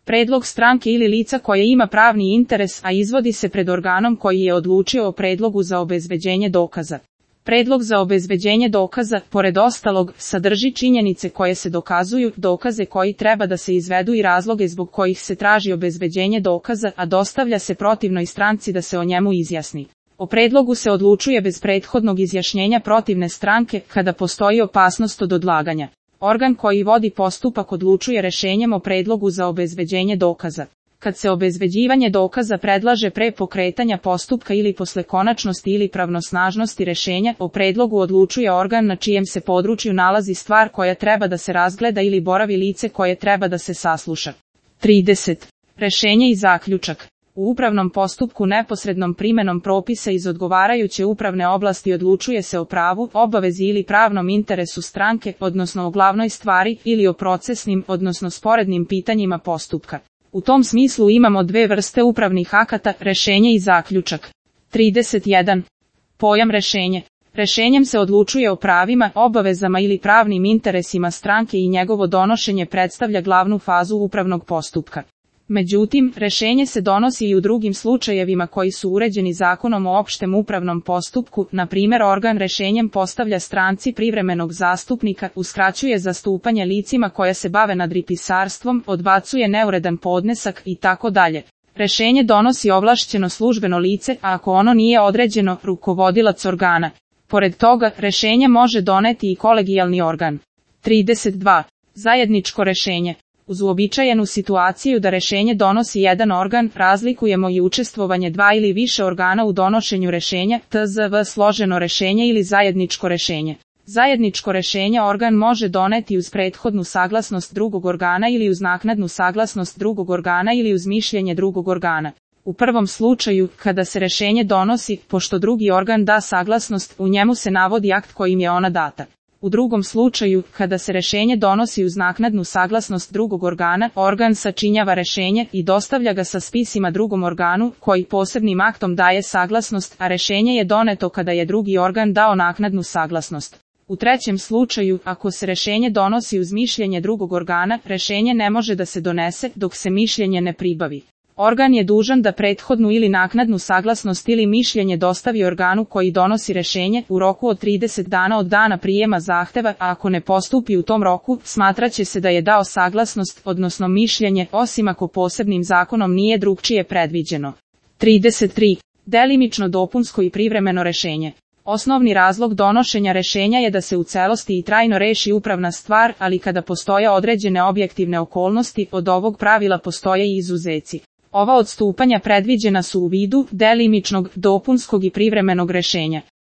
Predlog stranke ili lica koje ima pravni interes, a izvodi se pred organom koji je odlučio o predlogu za obezbeđenje dokaza. Predlog za obezbeđenje dokaza, pored ostalog, sadrži činjenice koje se dokazuju, dokaze koji treba da se izvedu i razloge zbog kojih se traži obezbeđenje dokaza, a dostavlja se protivnoj stranci da se o njemu izjasni. O predlogu se odlučuje bez prethodnog izjašnjenja protivne stranke, kada postoji opasnost od odlaganja. Organ koji vodi postupak odlučuje rešenjem o predlogu za obezbeđenje dokaza. Kad se obezbeđivanje dokaza predlaže pre pokretanja postupka ili posle konačnosti ili pravnosnažnosti rešenja, o predlogu odlučuje organ na čijem se području nalazi stvar koja treba da se razgleda ili boravi lice koje treba da se sasluša. 30. Rešenje i zaključak. U upravnom postupku neposrednom primenom propisa iz odgovarajuće upravne oblasti odlučuje se o pravu, obavezi ili pravnom interesu stranke, odnosno o glavnoj stvari, ili o procesnim, odnosno sporednim pitanjima postupka. U tom smislu imamo dve vrste upravnih akata, rešenje i zaključak. 31. Pojam rešenje. Rešenjem se odlučuje o pravima, obavezama ili pravnim interesima stranke i njegovo donošenje predstavlja glavnu fazu upravnog postupka. Međutim, rešenje se donosi i u drugim slučajevima koji su uređeni Zakonom o opštem upravnom postupku, na primjer organ rešenjem postavlja stranci privremenog zastupnika, uskraćuje zastupanje licima koja se bave nadripisarstvom, odbacuje neuredan podnesak itd. Rešenje donosi ovlašćeno službeno lice, a ako ono nije određeno, rukovodilac organa. Pored toga, rešenje može doneti i kolegijalni organ. 32. Zajedničko rešenje. Uz uobičajenu situaciju da rešenje donosi jedan organ, razlikujemo i učestvovanje dva ili više organa u donošenju rešenja, tzv. složeno rešenje ili zajedničko rešenje. Zajedničko rešenje organ može doneti uz prethodnu saglasnost drugog organa ili uz naknadnu saglasnost drugog organa ili uz mišljenje drugog organa. U prvom slučaju, kada se rešenje donosi, pošto drugi organ da saglasnost, u njemu se navodi akt kojim je ona data. U drugom slučaju, kada se rešenje donosi uz naknadnu saglasnost drugog organa, organ sačinjava rešenje i dostavlja ga sa spisima drugom organu, koji posebnim aktom daje saglasnost, a rešenje je doneto kada je drugi organ dao naknadnu saglasnost. U trećem slučaju, ako se rešenje donosi uz mišljenje drugog organa, rešenje ne može da se donese dok se mišljenje ne pribavi. Organ je dužan da prethodnu ili naknadnu saglasnost ili mišljenje dostavi organu koji donosi rešenje u roku od 30 dana od dana prijema zahteva, a ako ne postupi u tom roku, smatraće se da je dao saglasnost, odnosno mišljenje, osim ako posebnim zakonom nije drugčije predviđeno. 33. Delimično dopunsko i privremeno rešenje. Osnovni razlog donošenja rešenja je da se u celosti i trajno reši upravna stvar, ali kada postoje određene objektivne okolnosti, od ovog pravila postoje i izuzeci. Ova odstupanja predviđena su u vidu delimičnog, dopunskog i privremenog rešenja.